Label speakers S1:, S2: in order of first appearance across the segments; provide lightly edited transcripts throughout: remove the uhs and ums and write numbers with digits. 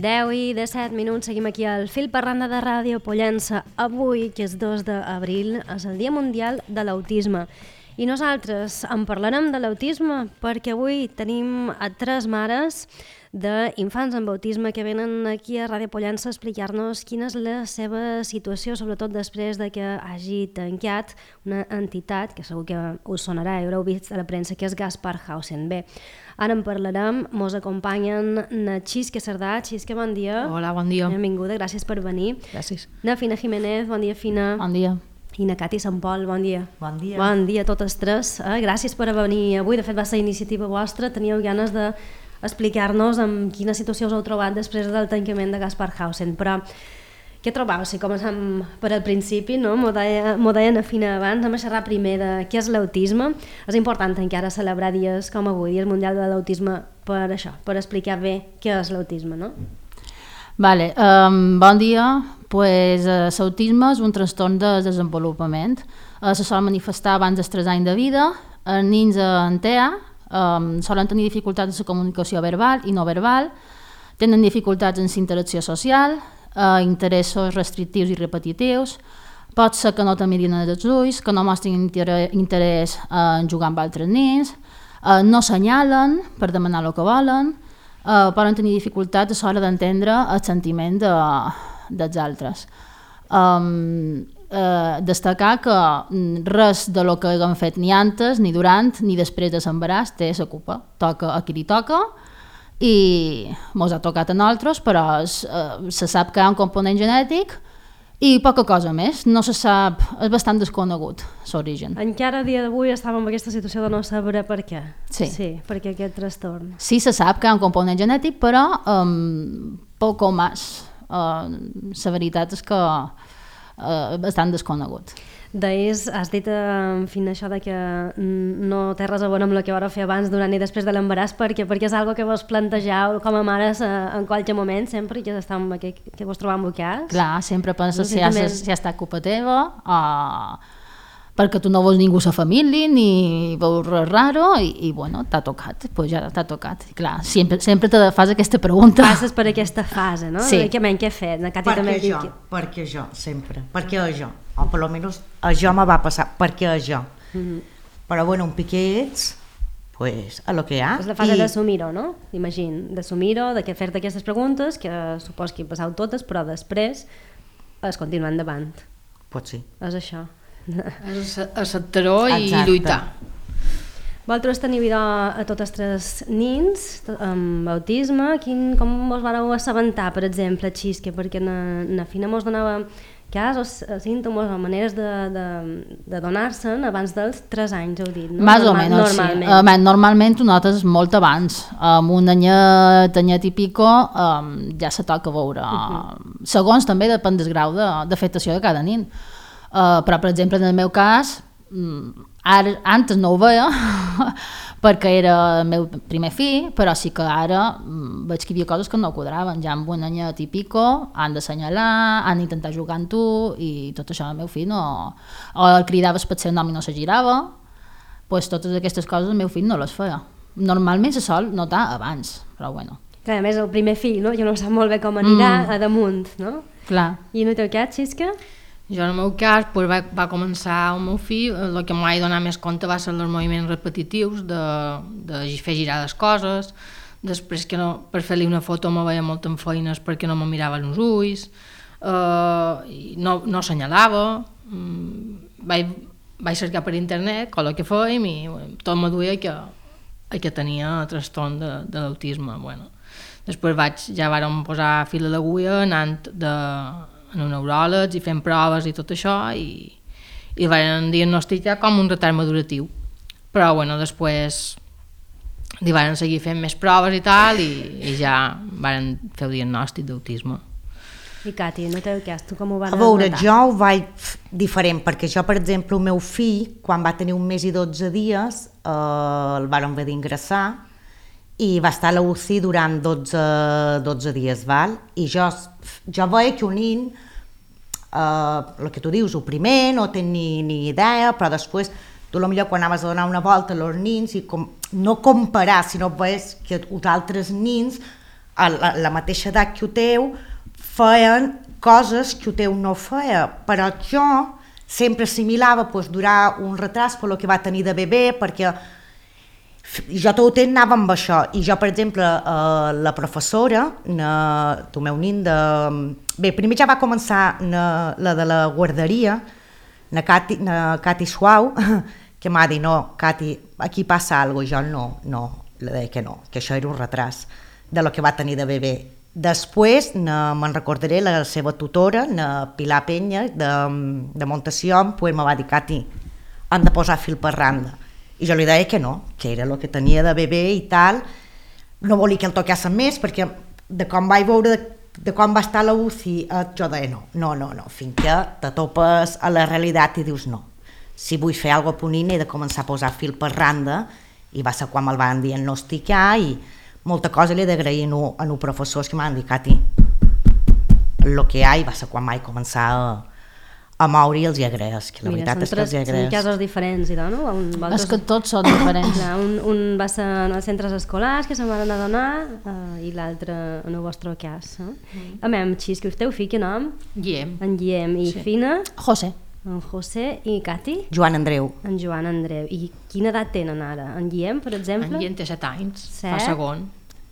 S1: 10:17, seguim aquí al Fil per Randa de Ràdio Pollença. Avui, que és 2 d'abril, és el Dia Mundial de l'Autisme. I nosaltres en parlarem de l'autisme perquè avui tenim a 3 mares d'infants amb autisme que venen aquí a Ràdio Pollença a explicar-nos quina és la seva situació, sobretot després de que hagi tancat una entitat que segur que us sonarà i haureu vist a la premsa, que és Gaspar Hausen. Bé, ara en parlarem, mos acompanyen na Xisque Cerdà. Xisque, bon dia.
S2: Hola, bon dia.
S1: Benvinguda, gràcies per venir.
S2: Gràcies.
S1: Na Fina Jiménez, bon dia, Fina.
S2: Bon dia.
S1: I na Cati Sant Pol, bon dia.
S3: Bon dia.
S1: Bon dia a totes tres. Gràcies per venir avui. De fet, va ser iniciativa vostra. Teníeu ganes d'explicar-nos en quina situació us heu trobat després del tancament de Gaspar Hausen. Però què trobeu? Si comencem per al principi, no? M'ho deia na Fina abans, anem a xerrar primer de què és l'autisme. És important encara celebrar dies com avui, Dia Mundial de l'Autisme, per això, per explicar bé què és l'autisme, no?
S2: Vale, bon dia. L'autisme és un trastorn de desenvolupament. Se sol manifestar abans dels 3 anys de vida. Els nens en TEA solen tenir dificultats en la comunicació verbal i no verbal, tenen dificultats en la interacció social, interessos restrictius i repetitius, pot ser que no te mirin als ulls, que no mostrin interès en jugar amb altres nens, no assenyalen per demanar el que volen, poden tenir dificultats a l'hora d'entendre el sentiment dels altres. Destacar que res de lo que haguem fet ni antes, ni durant, ni després de l'embaràs té la culpa. Toca a qui li toca i mos ha tocat a nosaltres, però se sap que hi ha un component genètic i poca cosa més. No se sap, és bastant desconegut l'origen.
S1: Encara a dia d'avui estàvem en aquesta situació de no saber per què.
S2: Sí.
S1: Per què aquest trastorn.
S2: Sí, se sap que hi ha un component genètic, però poc o més. La veritat és que bastant desconegut.
S1: Has dit, en fi, això de que no té res a veure amb el que vau fer abans, durant i després de l'embaràs, perquè és algo que vos plantegeu com a mares en qualsevol moment, sempre, que vos trobeu embocats?
S2: Clar, sempre penses si ha estat culpa teva, perquè tu no vols ningú a la família, ni veus res raro, i bueno, t'ha tocat, doncs ja t'ha tocat. I clar, sempre te fas aquesta pregunta.
S1: Passes per aquesta fase, no?
S2: Sí.
S1: Què he fet?
S3: Perquè jo, sempre. Perquè jo. O per almenys això me va passar, perquè jo. Però bueno, un piquets, pues, a lo que hi ha.
S1: És la fase d'assumir-ho, no? Imagino, d'assumir-ho, de fer-te aquestes preguntes, que supos que hi passeu totes, però després es continua endavant.
S3: Pot ser.
S1: És això.
S4: És acceptar-ho i lluitar.
S1: Vosaltres teniu a totes 3 nens amb autisme. Com us vareu assabentar, per exemple, Xisque? Perquè na Fina mos donava casos, símptomes o maneres de donar-se'n abans dels 3 anys, heu dit, no?
S2: Més o menys, sí. Normalment ho notes molt abans. Amb un anyet i pico ja se toca veure. Segons també depèn del grau d'afectació de cada nen. Però, per exemple, en el meu cas, antes no ho veia perquè era el meu primer fill, però sí que ara veig que hi havia coses que no quadraven. Ja amb un anyet i pico han d'assenyalar, han d'intentar jugar amb tu, i tot això el meu fill no... O el cridaves per ser nom i no se girava, doncs totes aquestes coses el meu fill no les feia. Normalment se sol notar abans, però bueno.
S1: Clar, a més, el primer fill, no? Jo no sap molt bé com anirà a damunt, no?
S2: Clar.
S1: I en el teu cas, Xisque?
S4: Jo, en el meu cas, va començar el meu fill, el que m'ho vaig donar més compte va ser els moviments repetitius, de fer girar les coses, després que per fer-li una foto me veia molt en feines perquè no me mirava els ulls, no assenyalava, vaig cercar per internet el que fèiem i tot me duia que tenia trastorn de l'autisme. Bueno, després ja vàrem posar fil a l'agulla anant en un neuròleg i fent proves i tot això, i van diagnosticar com un retard maduratiu. Però bueno, després li van seguir fent més proves i tal, i ja van fer el diagnòstic d'autisme.
S1: I Cati, no teu cas, tu com ho vas
S3: notar? A veure,
S1: notar?
S3: jo ho vaig diferent, perquè jo, per exemple, el meu fill, quan va tenir 1 mes i 12 dies, el van haver d'ingressar, i va estar a la UCI durant 12 dies, val? I jo veia que un nen, el que tu dius, el primer, no té ni idea, però després tu potser quan anaves a donar una volta als nins, i no comparar, sinó veies que els altres nins, a la mateixa edat que ho teu, feien coses que ho teu no feia, però jo sempre assimilava durar un retras per lo que va tenir de bebè, perquè jo tot el temps anava amb això, i jo, per exemple, la professora, el meu nin bé, primer ja va començar la de la guarderia, la Cati Suau, que m'ha dit, no, Cati, aquí passa alguna cosa, jo no, le deia que no, que això era un retras de lo que va tenir de bebè. Després me'n recordaré la seva tutora, la Pilar Penya, de Montació, pues me va dir, Cati, han de posar fil per randa. I jo li deia que no, que era el que tenia de bebè i tal. No volia que el toquessin més, perquè de com vaig veure de com va estar a la UCI, jo deia no, fins que te topes a la realitat i dius no. Si vull fer alguna cosa ponint he de començar a posar fil per randa, i va ser quan me'l van diagnosticar, i molta cosa li he d'agrair a els professors que m'han dit, Cati, el que hi ha, i va ser quan vaig començar a moure i els hi agraeix, que la veritat és que els hi agraeix.
S1: Són casos diferents, no?
S2: És que tots són diferents.
S1: Un va ser en els centres escolars que se'n van anar a donar i l'altre en el vostre cas. A mi, Xisco, el teu fill, que nom?
S4: Guillem.
S1: En Guillem. I Fina?
S2: José.
S1: En José. I Cati?
S3: Joan Andreu.
S1: En Joan Andreu. I quina edat tenen ara? En Guillem, per exemple?
S4: En Guillem té 7 anys, fa segon.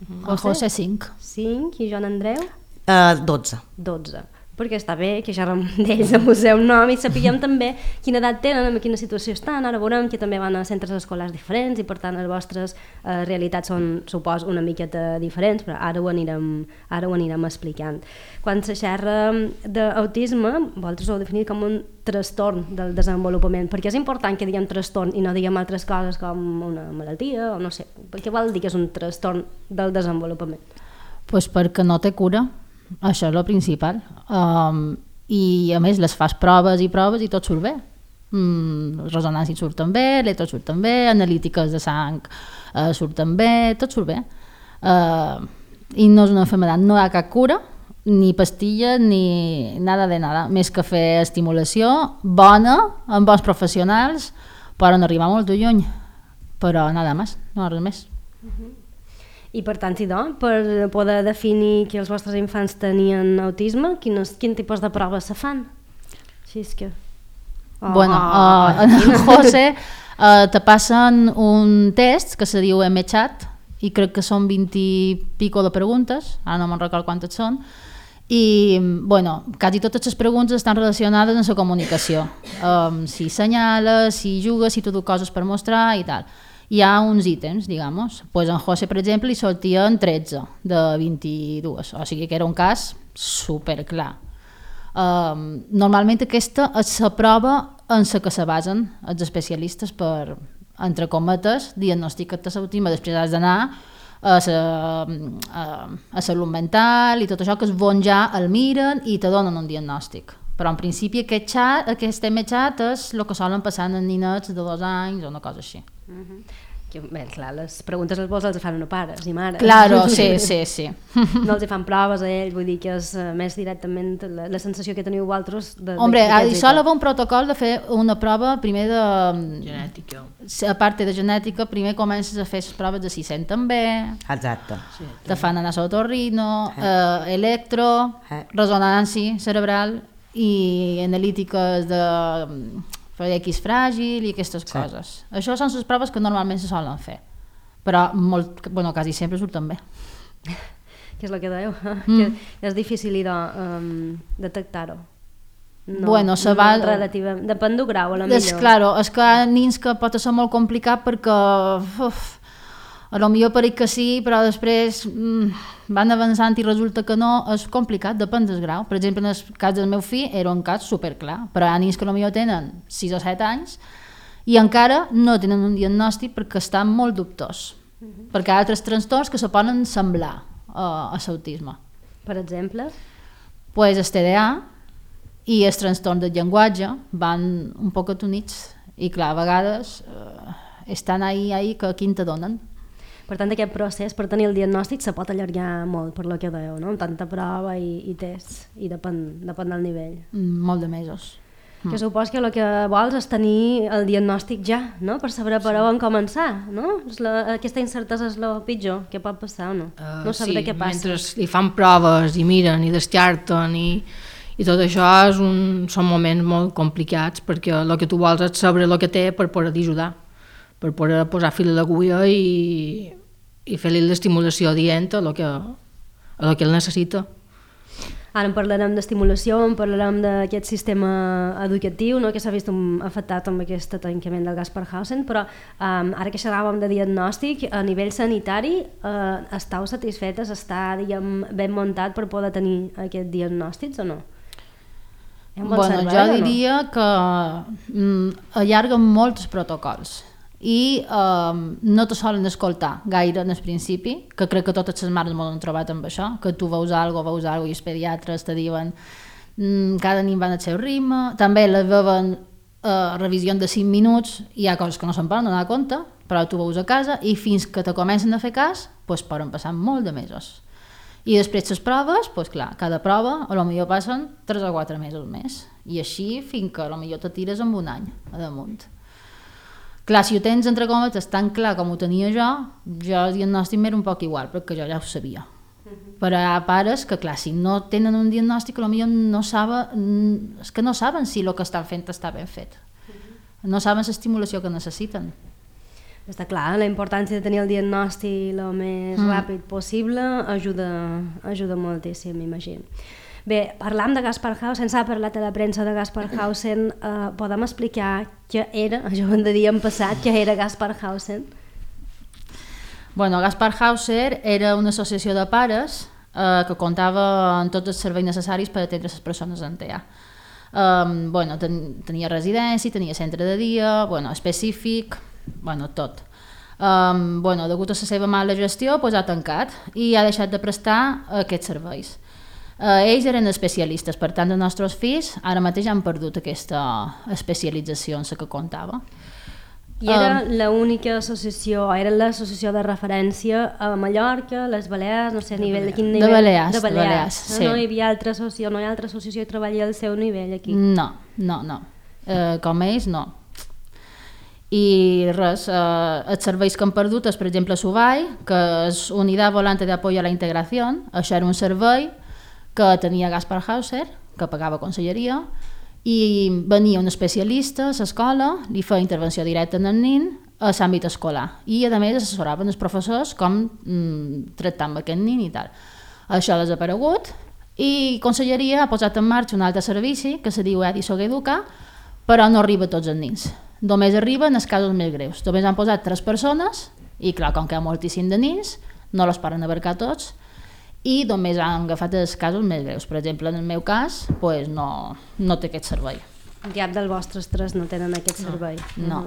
S2: En José 5.
S1: 5. I Joan Andreu?
S3: 12.
S1: 12. Perquè està bé que xerrem d'ells amb el seu nom i sapiguem també quina edat tenen, en quina situació estan. Ara veurem que també van a centres escolars diferents i per tant les vostres realitats són, suposo, una miqueta diferents, però ara ho anirem explicant. Quan se xerra d'autisme, vosaltres ho heu definit com un trastorn del desenvolupament, perquè és important que diguem trastorn i no diguem altres coses com una malaltia o no sé, perquè vol dir que és un trastorn del desenvolupament?
S2: Pues perquè no té cura. Això és el principal. I a més les fas proves i tot surt bé. Resonàncies surten bé, electros surten bé, analítiques de sang surten bé, tot surt bé. I no és una malaltia, no hi ha cap cura, ni pastilles, ni nada de nada, més que fer estimulació bona, amb bons professionals, poden arribar molt lluny, però nada més, no res més.
S1: I per tant, per poder definir que els vostres infants tenien autisme, quin tipus de proves se fan? Així és que...
S2: En José te passen un test que se diu MChat i crec que són 20 i pico de preguntes, ara no me'n recordo quantes són, i quasi totes les preguntes estan relacionades amb la comunicació. Si assenyales, si jugues, si tu du coses per mostrar i tal. Hi ha uns ítems, digamos. Pues en José, per exemple, li sortien 13 de 22, o sigui que era un cas superclar. Normalment aquesta és la prova en la que se basen els especialistes per, entre cometes, diagnosticar-te l'autisme. Després has d'anar a salut mental i tot això, que es bon ja el miren i te donen un diagnòstic. Però en principi aquest MChat és el que solen passar en ninets de 2 anys o una cosa així.
S1: Bé, clar, les preguntes els fan a pares i mares.
S2: Claro, sí.
S1: No els fan proves a ells, vull dir que és més directament la sensació que teniu vosaltres.
S2: Hombre, això va un protocol de fer una prova primer de...
S4: genètica.
S2: A part de genètica, primer comences a fer les proves de si senten bé.
S3: Exacte.
S2: Te fan anar a l'otorrino, electro, resonància cerebral i analítiques de... X fràgil i aquestes coses. Això són les proves que normalment se solen fer, però quasi sempre surten bé.
S1: Què és el que dèieu? Que és difícil detectar-ho. Depèn del grau, a la millor.
S2: Claro, és que hi ha nins que pot ser molt complicat perquè a lo millor pareix que sí, però després van avançant i resulta que no, és complicat, depèn del grau. Per exemple, en el cas del meu fill era un cas superclar, però hi ha nins que a lo millor tenen 6 o 7 anys i encara no tenen un diagnòstic perquè estan molt dubtós, perquè hi ha altres trastorns que se poden semblar a l'autisme.
S1: Per exemple?
S2: Pues el TDA i els trastorns del llenguatge van un poc units i clar, a vegades estan ahí que quin te donen.
S1: Per tant, aquest procés, per tenir el diagnòstic, se pot allargar molt, per lo que dèieu, no? Amb tanta prova i tests, i depèn del nivell.
S2: Molt de mesos.
S1: Que supos que el que vols és tenir el diagnòstic ja, no? Per saber per on començar, no? Aquesta incertesa és el pitjor que pot passar, o no? No sabré què passa.
S4: Mentre li fan proves i miren i descarten i tot això són moments molt complicats perquè el que tu vols és saber el que té per poder ajudar, per poder posar fil a l'agulla i fer-li l'estimulació adient a el que ell necessita.
S1: Ara en parlarem d'estimulació, en parlarem d'aquest sistema educatiu, no?, que s'ha vist afectat amb aquest tancament del Gaspar Hausen, però ara que xerràvem de diagnòstic, a nivell sanitari, estàu satisfetes? Està, diguem, ben muntat per poder tenir aquests diagnòstics o no?
S2: Bueno, jo diria que allarguen molts protocols i no te solen escoltar gaire en el principi, que crec que totes les mares m'ho han trobat amb això, que tu veus alguna cosa i els pediatres te diuen cada nin van al seu ritme, també les veuen revisions de 5 minuts i hi ha coses que no se'n poden donar compte, però tu veus a casa i fins que te comencen a fer cas poden passar molt de mesos. I després les proves, clar, cada prova a lo millor passen 3 o 4 mesos més i així fins que a lo millor te tires amb un any a damunt. Clar, si ho tens entre cometes tan clar com ho tenia jo el diagnòstic m'era un poc igual, perquè jo ja ho sabia. Però hi ha pares que, clar, si no tenen un diagnòstic, potser no saben, és que no saben si el que estan fent està ben fet. No saben l'estimulació que necessiten.
S1: Està clar, la importància de tenir el diagnòstic el més ràpid possible ajuda moltíssim, m'imagino. Bé, parlam de Gaspar Hausen, s'ha parlat a la premsa de Gaspar Hausen, podem explicar què era, això ho hem de dir en passat, què era Gaspar Hausen?
S2: Bueno, Gaspar Hauser era una associació de pares que comptava amb tots els serveis necessaris per atendre les persones amb TEA. Tenia residència, tenia centre de dia, específic, tot. Degut a la seva mala gestió, ha tancat i ha deixat de prestar aquests serveis. Ells eren especialistes, per tant, els nostres fills ara mateix han perdut aquesta especialització en la que comptava.
S1: I era l'única associació, era l'associació de referència a Mallorca, les Balears, no sé a nivell de quin nivell?
S2: De Balears, sí.
S1: No hi havia altra associació, no hi ha altra associació que treballi al seu nivell aquí?
S2: No. Com ells, no. I res, els serveis que han perdut és, per exemple, SUVAI, que és Unitat Volante de Apoyo a la Integración. Això era un servei que tenia Gaspar Hauser, que pagava conselleria, i venia un especialista a l'escola, li feia intervenció directa en el nin a l'àmbit escolar i a més assessoraven els professors com tractar amb aquest nin i tal. Això ha desaparegut i Conselleria ha posat en marxa un altre servici que se diu EDI Sogeduca, però no arriba a tots els nins. Només arriben els casos més greus. Només han posat 3 persones i clar, com que hi ha moltíssim de nins, no els poden abarcar tots i només han agafat els casos més greus. Per exemple, en el meu cas, no té aquest servei.
S1: Cap dels vostres 3 no tenen aquest servei.
S2: No.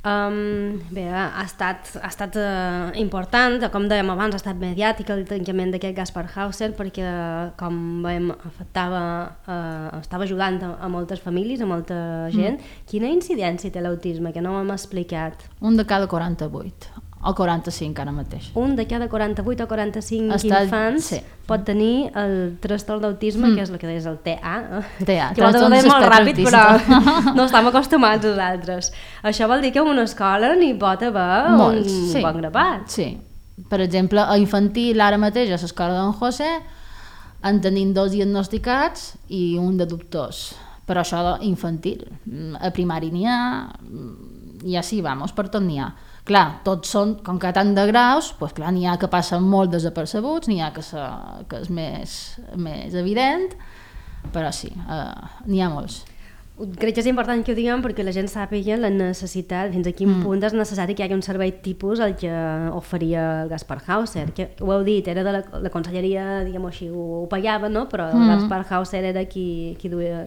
S1: Bé, ha estat important, com dèiem abans, ha estat mediàtic el tancament d'aquest Gaspar Hausen perquè, com veiem, estava ajudant a moltes famílies, a molta gent. Quina incidència té l'autisme, que no ho hem explicat?
S2: Un de cada 48. O 45 ara mateix.
S1: Un de cada 48 o 45 infants pot tenir el trastorn d'autisme, que és el que deies, el TEA. Que vol dir molt ràpid, però no estem acostumats nosaltres. Això vol dir que en una escola n'hi pot haver un bon grapat.
S2: Sí. Per exemple, a infantil, ara mateix, a l'escola d'en José, en tenim 2 diagnosticats i un de dubtors. Però això infantil. A primari n'hi ha, i així vamos, per tot n'hi ha. Clar, tots són, com que tant de graus, doncs clar, n'hi ha que passen molt desapercebuts, n'hi ha que és més evident, però sí, n'hi ha molts.
S1: Crec que és important que ho diguem perquè la gent sàpiga la necessitat, fins a quin punt és necessari que hi hagi un servei tipus el que oferia el Gaspar Hauser, que ho heu dit, era de la conselleria, diguem-ho així, ho pagava, no? Però el Gaspar Hauser era qui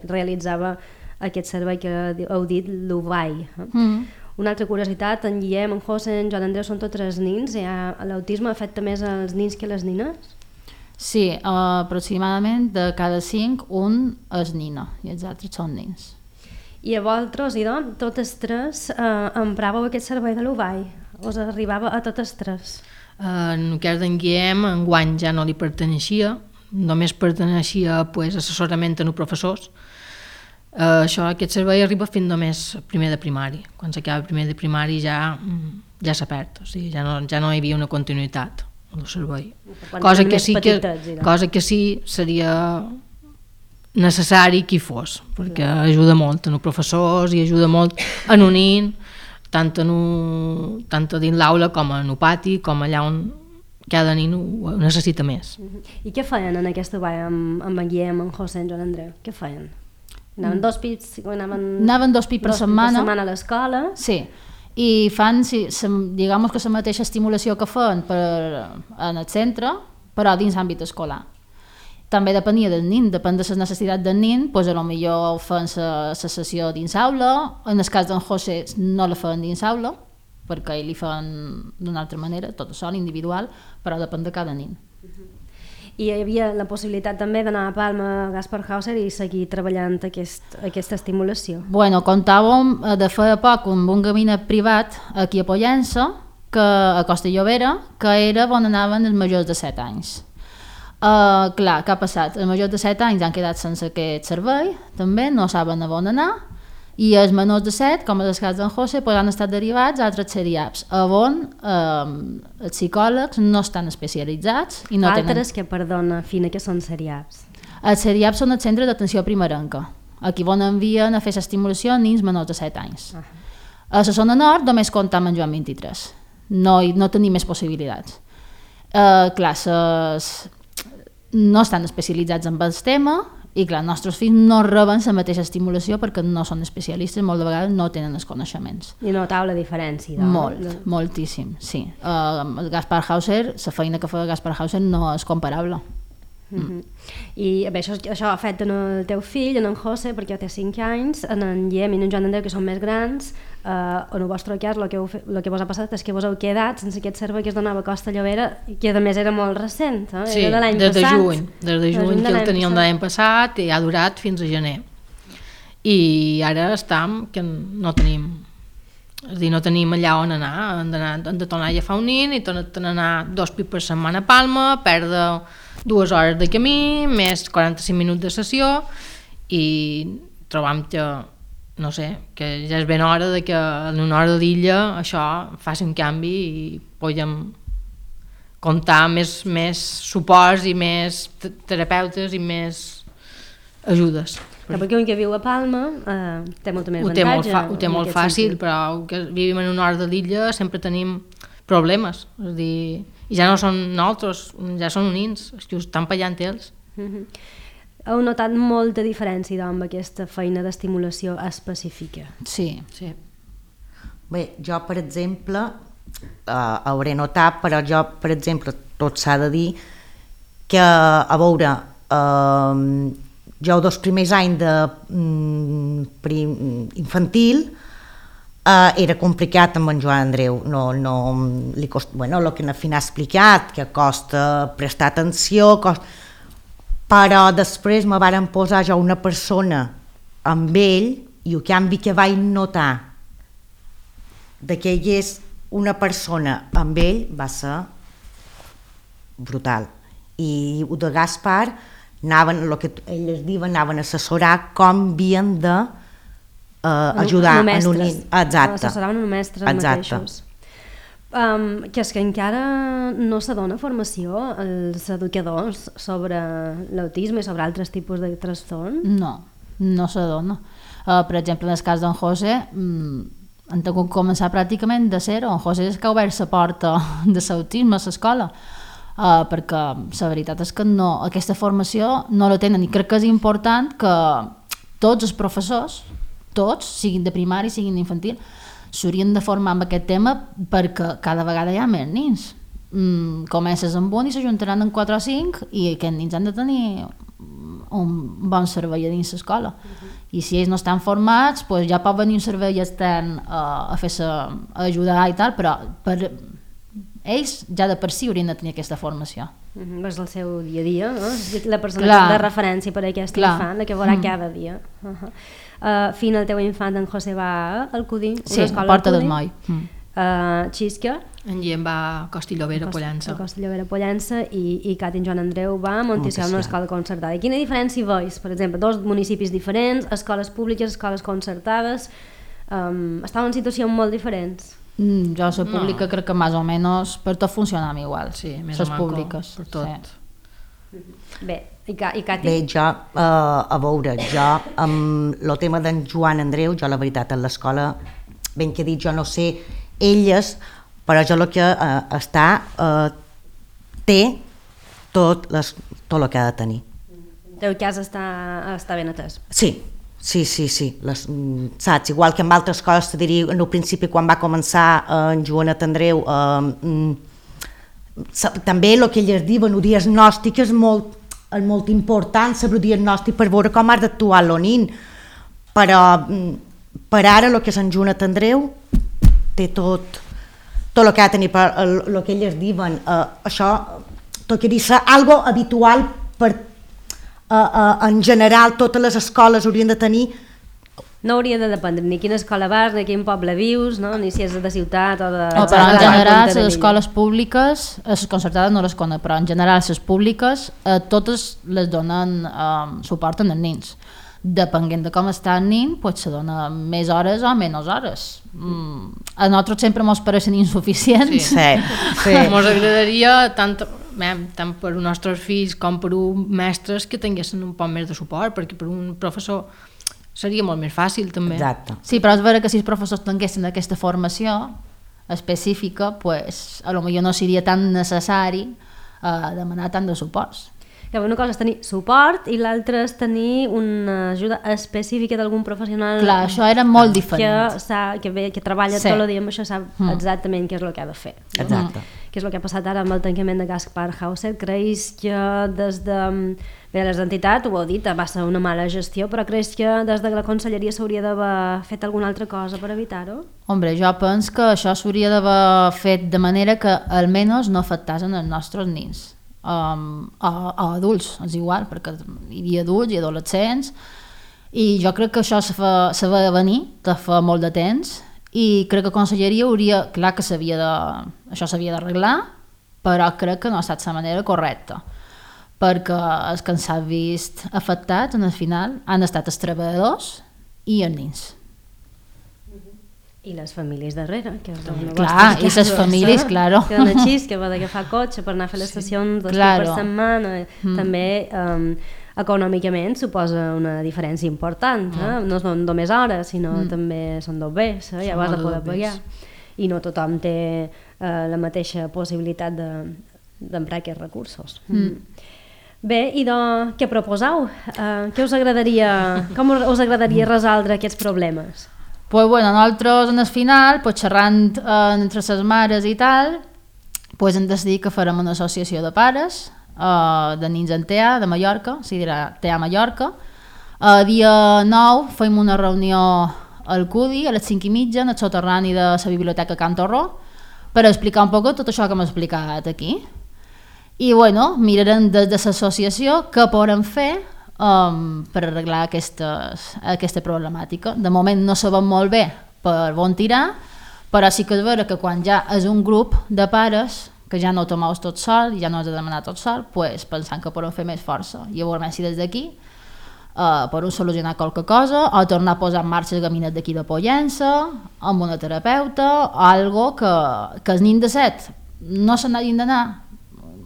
S1: realitzava aquest servei que heu dit, l'UVAI. Una altra curiositat, en Guillem, en José, en Joan Andreu són tots 3 nins. L'autisme afecta més els nins que les nines?
S2: Sí, aproximadament de cada 5, un és nina i els altres són nins.
S1: I a vosaltres, idò, totes 3 empràveu aquest servei de l'UVAI? Us arribava a totes 3?
S4: En el cas d'en Guillem, enguany ja no li perteneixia, només perteneixia assessorament a els professors. Aquest servei arriba fins només primer de primari. Quan s'acaba primer de primari ja s'ha perd, o sigui, ja no hi havia una continuïtat del servei. Cosa que sí seria necessari que hi fos, perquè ajuda molt en els professors i ajuda molt en un nin, tant dins l'aula com en el pati, com allà on cada nin ho necessita més.
S1: I què feien en aquesta vaga amb en Guillem, en José, en Joan Andreu? Què feien? Anaven dos pits per setmana a l'escola?
S2: Sí, i fan, digamos que la mateixa estimulació que fan en el centre, però dins l'àmbit escolar. També depenia del nin, depèn de les necessitats del nin, doncs potser fan la sessió dins aula, en el cas d'en José no la fan dins aula, perquè ell li fan d'una altra manera, tot sol, individual, però depèn de cada nin.
S1: I hi havia la possibilitat també d'anar a Palma a Gaspar Hauser i seguir treballant aquesta estimulació?
S2: Bueno, comptàvem de fer poc amb un gabinet privat aquí a Pollença, a Costa Llobera, que era on anaven els majors de 7 anys. Clar, què ha passat? Els majors de 7 anys han quedat sense aquest servei, també, no saben a on anar, i els menors de 7, com és el cas d'en José, han estat derivats a altres CERIAPs, on els psicòlegs no estan especialitzats. I no
S1: altres que, perdona, Fina, que són CERIAPs?
S2: Els CERIAPs són el centre d'atenció primerenca, aquí on envien a fer l'estimulació a nins menors de 7 anys. A la zona nord només comptam amb Joan 23, no tenim més possibilitats. Clar, no estan especialitzats en el tema, i clar, els nostres fills no reben la mateixa estimulació perquè no són especialistes, molt de vegades no tenen els coneixements.
S1: I notau la diferència,
S2: moltíssim, sí. Gaspar Hauser, la feina que fa Gaspar Hauser no és comparable.
S1: I bé, això ha fet en el teu fill, en José, perquè té 5 anys, en Guillem i en Joan Andreu, que són més grans. En el vostre cas, el que vos ha passat és que vos heu quedat sense aquest servei que es donava a Costa Llobera, que a més era molt recent,
S4: sí, era de l'any passat. Des de juny que el teníem l'any passat i ha durat fins a gener. I ara estem que no tenim, és a dir, no tenim allà on anar, hem de tornar a agafar un nin i tornar a anar 2 pits per setmana a Palma, perdre 2 hores de camí, més 45 minuts de sessió, i trobam que, no sé, que ja és ben hora de que en una hora d'illa això faci un canvi i puguem comptar més suports i més terapeutes i més ajudes.
S1: Perquè un que viu a Palma té molta més avantatge.
S4: Ho té molt fàcil, però que vivim en una hora de l'illa sempre tenim problemes, és a dir, i ja no són nosaltres, ja són nins, és que ho estan pallant ells.
S1: Heu notat molta diferència amb aquesta feina d'estimulació específica?
S2: Sí.
S3: Bé, jo, per exemple, hauré notat, però jo, per exemple, tot s'ha de dir que, a veure, jo els primers anys infantil era complicat amb en Joan Andreu, el que na Fina ha explicat, que costa prestar atenció, però després me varen posar jo una persona amb ell i el canvi que vaig notar de que hi és una persona amb ell va ser brutal. I el de Gaspar anaven, el que ells diuen, anaven a assessorar com havien de ajudar en un nin.
S1: Assessoraven un mestre mateixos. Que és que encara no se dona formació als educadors sobre l'autisme i sobre altres tipus de trastorn?
S2: No se dona. Per exemple, en el cas d'en José, han tingut que començar pràcticament de zero. En José és que ha obert la porta de l'autisme a l'escola, perquè la veritat és que aquesta formació no la tenen, i crec que és important que tots els professors, tots, siguin de primari, siguin d'infantil, s'haurien de formar amb aquest tema, perquè cada vegada hi ha més nins. Comences amb un i s'ajuntaran en 4 o 5 i aquests nins han de tenir un bon servei a dins l'escola. I si ells no estan formats, doncs ja pot venir un servei extern a ajudar i tal, però ells ja de per si haurien de tenir aquesta formació.
S1: És el seu dia a dia, no? La persona de referència per a aquest infant, la que veurà cada dia. Fina, el teu infant, en José, va al CUDI,
S2: sí, a Porta del Moll.
S1: Xisca,
S4: En Guillem va a Costillovera, Pollença.
S1: A Costillovera, Pollença, i Cat i en Joan Andreu va a Monticial, una escola concertada. I quina diferència veus? Per exemple, dos municipis diferents, escoles públiques, escoles concertades, estaven en situacions molt diferents.
S2: Jo la pública crec que més o menys per tot funcionam igual.
S4: Sí, més o
S2: les
S4: menys
S2: públiques.
S4: per tot.
S2: Sí.
S1: Bé, i Cati?
S3: Bé, jo, a veure, jo, amb el tema d'en Joan Andreu, jo la veritat, a l'escola, ben que dit, jo no sé elles, però jo el que té tot el que ha de tenir.
S1: El teu cas està ben atès.
S3: Sí. Saps? Igual que amb altres coses, te diria, en el principi, quan va començar en Joanet Andreu, també el que elles diuen, el diagnòstic és molt important, saber el diagnòstic per veure com has d'actuar el nin, però per ara el que és en Joanet Andreu té tot el que ha de tenir, el que elles diuen, això, tot que dir, ser algo habitual per en general totes les escoles haurien de tenir.
S1: No hauria de dependre ni quina escola vas, ni quin poble vius, no? Ni si és de ciutat o de...
S2: Però en general les escoles públiques, les concertades no les conec, però en general les públiques totes les donen suport als nens. Depenent de com està el nen, pues se dona més hores o menys hores. A nosaltres sempre ens pareixen insuficients.
S3: Sí.
S4: Ens agradaria tant per als nostres fills com per uns mestres que tinguessin un poc més de suport, perquè per un professor seria molt més fàcil també.
S3: Exacte.
S2: Sí, però és vera que si els professors tinguessin aquesta formació específica, pues, a lo millor no seria tan necessari demanar tant de suports.
S1: Que una cosa és tenir suport i l'altra és tenir una ajuda específica d'algun professional.
S2: Clar, això era molt diferent.
S1: Que treballa tot el dia amb això, sap exactament què és el que ha de fer.
S3: Exacte.
S1: Què és el que ha passat ara amb el tancament de Gaspar Hauser? Creus que des de... Bé, les entitats, ho heu dit, va ser una mala gestió, però creus que des de la conselleria s'hauria d'haver fet alguna altra cosa per evitar-ho?
S2: Hombre, jo penso que això s'hauria d'haver fet de manera que almenys no afectassin els nostres nens. A adults, és igual, perquè hi havia adults i adolescents, i jo crec que això se va venir de fa molt de temps, i crec que la conselleria hauria, clar que això s'havia d'arreglar, però crec que no ha estat la manera correcta, perquè els que s'han vist afectats en el final han estat els treballadors i els nens.
S1: I les famílies darrere, que
S2: clar, i les famílies, claro.
S1: Que donen així, que va d'agafar cotxe per anar a fer les sessions 2 cops per setmana. També econòmicament suposa una diferència important. No són només hores, sinó també són 2 bés, ja ho has de poder pagar. I no tothom té la mateixa possibilitat d'emprar aquests recursos. Bé, i què proposeu? Com us agradaria resoldre aquests problemes?
S2: Pues bueno, nosaltres en el final, pues xerrant entre les mares i tal, pues hem decidit que farem una associació de pares de nens en TEA de Mallorca, o sigui, dirà TEA Mallorca. Dia 9 fem una reunió al CUDI a les 5:30 en el soterrani de la Biblioteca Can Torró per explicar un poc tot això que hem explicat aquí. I bueno, mirarem des de l'associació què podem fer per arreglar aquesta problemàtica. De moment no sabem molt bé per on tirar, però sí que és vera que quan ja és un grup de pares que ja no ho tomeu tot sol i ja no has de demanar tot sol, pues, pensant que podem fer més força. I veurem si des d'aquí podem solucionar qualque cosa o tornar a posar en marxa el gabinet d'aquí de Pollença amb una terapeuta o algo que els nens de 7 no se n'hagin d'anar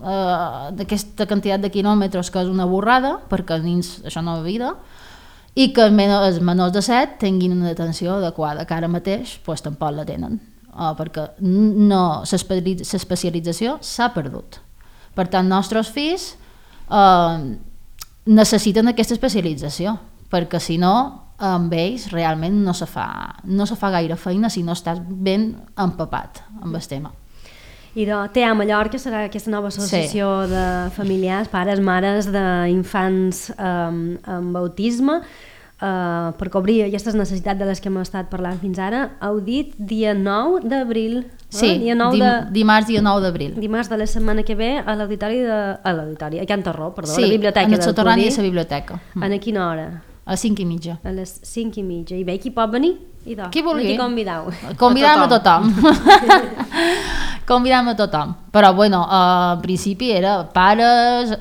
S2: d'aquesta quantitat de quilòmetres, que és una borrada, perquè els nens això no és vida, i que els menors de 7 tinguin una atenció adequada, que ara mateix pues, tampoc la tenen, perquè l'especialització s'ha perdut. Per tant, els nostres fills necessiten aquesta especialització, perquè si no, amb ells realment no se fa gaire feina si no estàs ben empapat amb el tema.
S1: I TEA Mallorca serà aquesta nova associació de familiars, pares, mares d'infants amb autisme, per cobrir aquestes necessitats de les que hem estat parlant fins ara. Heu dit dia 9 d'abril.
S2: Sí, dimarts dia 9 d'abril.
S1: Dimarts de la setmana que ve a l'auditori a Can Torró, perdó,
S2: sí,
S1: a la biblioteca
S2: en el
S1: del
S2: soterrani
S1: CUDI.
S2: de la biblioteca.
S1: A quina hora?
S2: A les 5:30.
S1: A les 5:30. I bé, qui pot venir? Idò,
S2: Qui vulgui.
S1: no t'hi convidau.
S2: Convidam a tothom. Convidam a tothom. Però, bueno, en principi era pares,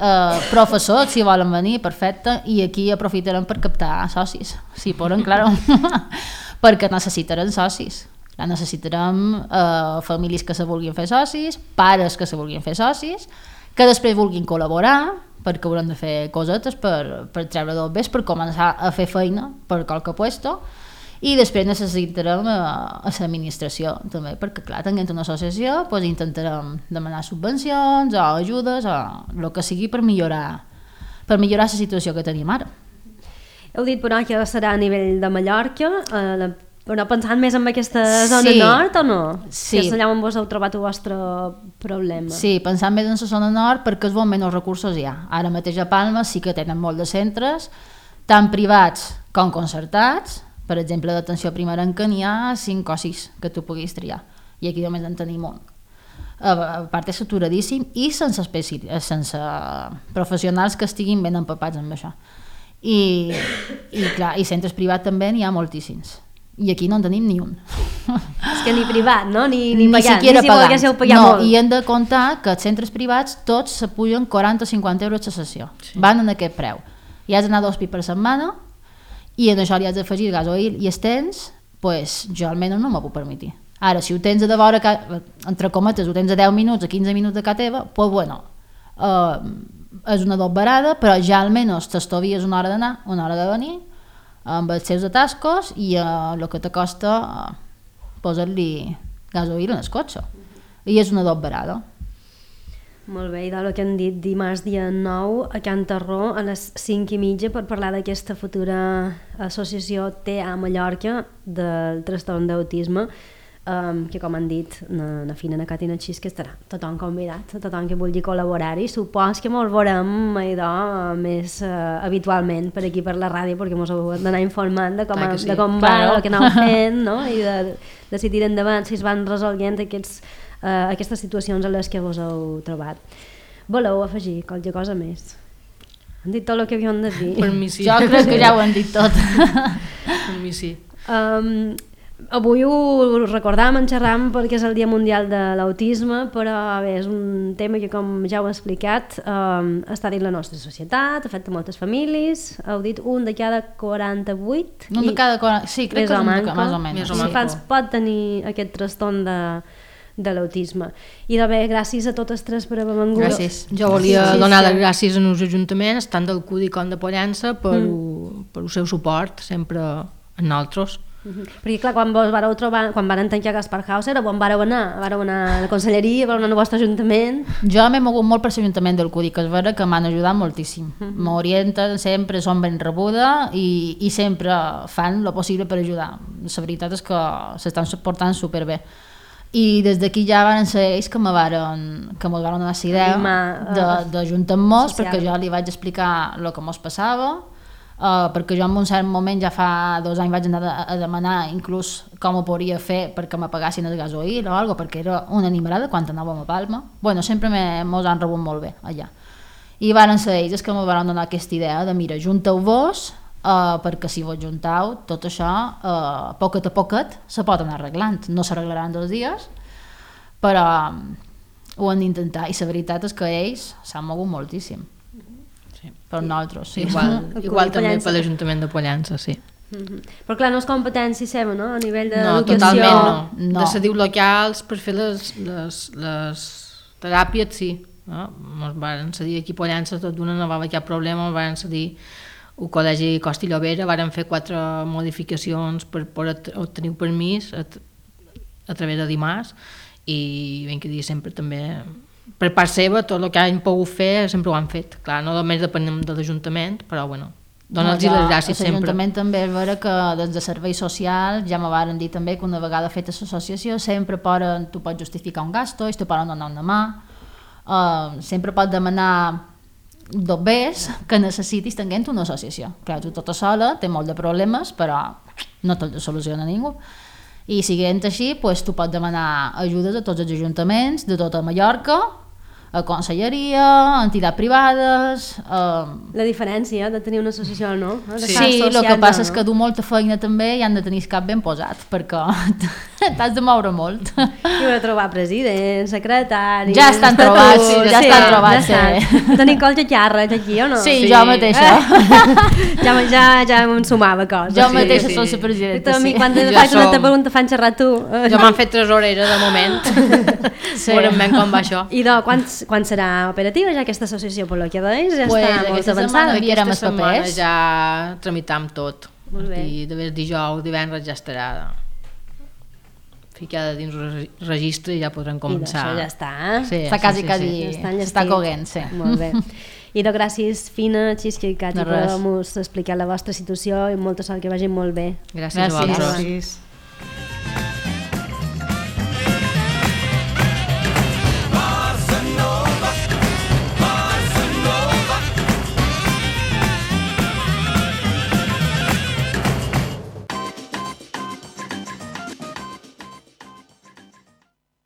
S2: professors, si volen venir, perfecte, i aquí aprofitarem per captar socis, si poden, claro, perquè necessitarem socis. Necessitarem famílies que se vulguin fer socis, pares que se vulguin fer socis, que després vulguin col·laborar, perquè haurem de fer cosetes per treure del bes, per començar a fer feina per qualque puesto, i després necessitarem a l'administració també, perquè clar, tenint una associació doncs intentarem demanar subvencions o ajudes o el que sigui per millorar la situació que tenim ara.
S1: Heu dit però que serà a nivell de Mallorca, però pensant més en aquesta zona nord o no?
S2: Sí.
S1: Que és allà on vos heu trobat el vostre problema.
S2: Sí, pensant més en la zona nord perquè és on menys recursos hi ha. Ara mateix a Palma sí que tenen molt de centres, tant privats com concertats. Per exemple, d'atenció primerenca n'hi ha 5 o 6 que tu puguis triar, i aquí només en tenim un. A part és saturadíssim i sense professionals que estiguin ben empapats amb això. I clar, i centres privats també n'hi ha moltíssims. I aquí no en tenim ni un.
S1: És que ni privat, no? Ni pagat,
S2: ni si
S1: volguéssiu pagar
S2: no,
S1: molt.
S2: I hem de comptar que els centres privats tots s'apugen 40 o 50 euros a sessió. Sí. Van en aquest preu. I has d'anar 2 pis per setmana, i en això li has d'afegir gasoil i estens, pues, jo almenys no m'ho puc permetre. Ara, si ho tens a de vora, entre cometes, ho tens a 10 minuts, a 15 minuts de casa teva, pues bueno, és una doberada, però ja almenys t'estovies una hora d'anar, una hora de venir, amb els seus atascos i el que te costa posar-li gasoil en el cotxe. I és una doberada.
S1: Molt bé, i del que han dit dimarts dia 9 a Can Tarró a les 5:30 per parlar d'aquesta futura associació TEA Mallorca del trastorn d'autisme, que com han dit na Fina, na Cati i na Xis, que estarà tothom convidat, tothom que vulgui col·laborar-hi. Supos que mos veurem més habitualment per aquí per la ràdio, perquè mos heu d'anar informant de com va, el que aneu fent, no? I de decidir endavant si es van resolent aquestes situacions a les que vos heu trobat. Voleu afegir qualque cosa més? Han dit tot el que havíem de dir.
S4: Per mi sí.
S2: Jo crec que ja ho han dit tot.
S4: Per mi sí.
S1: Avui ho recordam, en xerram perquè és el Dia Mundial de l'Autisme, però bé, és un tema que, com ja heu explicat, està dins la nostra societat, afecta moltes famílies. Heu dit un de cada 48.
S2: Un de cada 40, sí, crec que és un de cada, més o menys.
S1: Els infants pot tenir aquest trastorn de l'autisme. I de bé, gràcies a totes tres per haver vengut.
S2: Gràcies.
S4: Jo volia donar les gràcies als ajuntaments, tant del CUDI com de Pollença, per el seu suport sempre en nosaltres.
S1: Perquè clar, quan vos vareu trobar, quan van tancar Gaspar House, era on vareu anar a la conselleria, vareu anar al vostre ajuntament.
S2: Jo m'he mogut molt per l'Ajuntament del CUDI, que és vera que m'han ajudat moltíssim. M'orienten sempre, són ben rebuda i sempre fan el possible per ajudar. La veritat és que s'estan portant superbé. I des d'aquí ja van ser ells que mos varen donar la idea d'ajuntar-nos, perquè jo li vaig explicar el que mos passava, perquè jo en un cert moment ja fa 2 anys vaig anar a demanar inclús com ho podria fer perquè me pagassin el gasoil o alguna cosa, perquè era una animalada quan anàvem a Palma. Bueno, sempre mos han rebut molt bé allà. I van ser ells que me van donar aquesta idea de mira, junteu-vos, perquè si vos juntau tot això poquet a poquet se pot anar arreglant, no s'arreglaran 2 dies, però ho han d'intentar, i la veritat és que ells s'han mogut moltíssim.
S4: Sí.
S2: Per nosaltres, sí.
S4: Igual també per l'Ajuntament de Pollença, sí.
S1: Però clar, no és competència seva, no? A nivell d'educació.
S4: No, totalment no. De cediu locals per fer les teràpies, sí. Ens van cedir aquí a Pollença, tot d'una no va haver cap problema, ens van cedir el Col·legi Costa i Llobera, varen fer 4 modificacions per obtenir permís a través de dimarts, i ben que dir sempre també per part seva tot el que han pogut fer sempre ho han fet, clar, no només depenem de l'Ajuntament, però bueno, donar-los les gràcies sempre.
S2: L'Ajuntament també és vera que des de serveis socials ja me varen dir també que una vegada feta l'associació sempre tu pots justificar un gasto, ells te poden donar una mà, sempre pots demanar dobbers que necessitis tenint una associació. Clar, tu tota sola té molt de problemes, però no te'l soluciona ningú. I siguent així, tu pots demanar ajudes a tots els ajuntaments de tota Mallorca, a conselleria, a entitats privades...
S1: La diferència de tenir una associació o no?
S2: Sí, el que passa és que du molta feina també i han de tenir el cap ben posat, perquè t'has de moure molt.
S1: I heu de trobar president, secretari...
S2: Ja estan trobats, ja estan trobats.
S1: Tenim qualque xarra aquí, o no?
S2: Sí, jo mateixa.
S1: Ja em sumava coses.
S2: Jo mateixa soc la presidenta, sí.
S1: Quan faig una pregunta fan xerrar tu.
S4: Jo m'han fet tresorera de moment. Veurem ben com va això.
S1: I quan serà operativa ja aquesta associació, per lo que veus, ja
S2: Pues
S1: està molt avançada?
S2: Aquesta
S4: setmana ja tramitam tot.
S1: Molt bé.
S4: I de vegades dijous, divendres ja estarà ficada dins el registre i ja podrem començar.
S1: I això ja està.
S2: Sí, està quasi està coguent, sí.
S1: Molt bé. I gràcies, Fina, Xisca i Cati, per haver-nos explicat la vostra situació i molta sort, que vagi molt bé.
S4: Gràcies a vosaltres.
S3: Gràcies.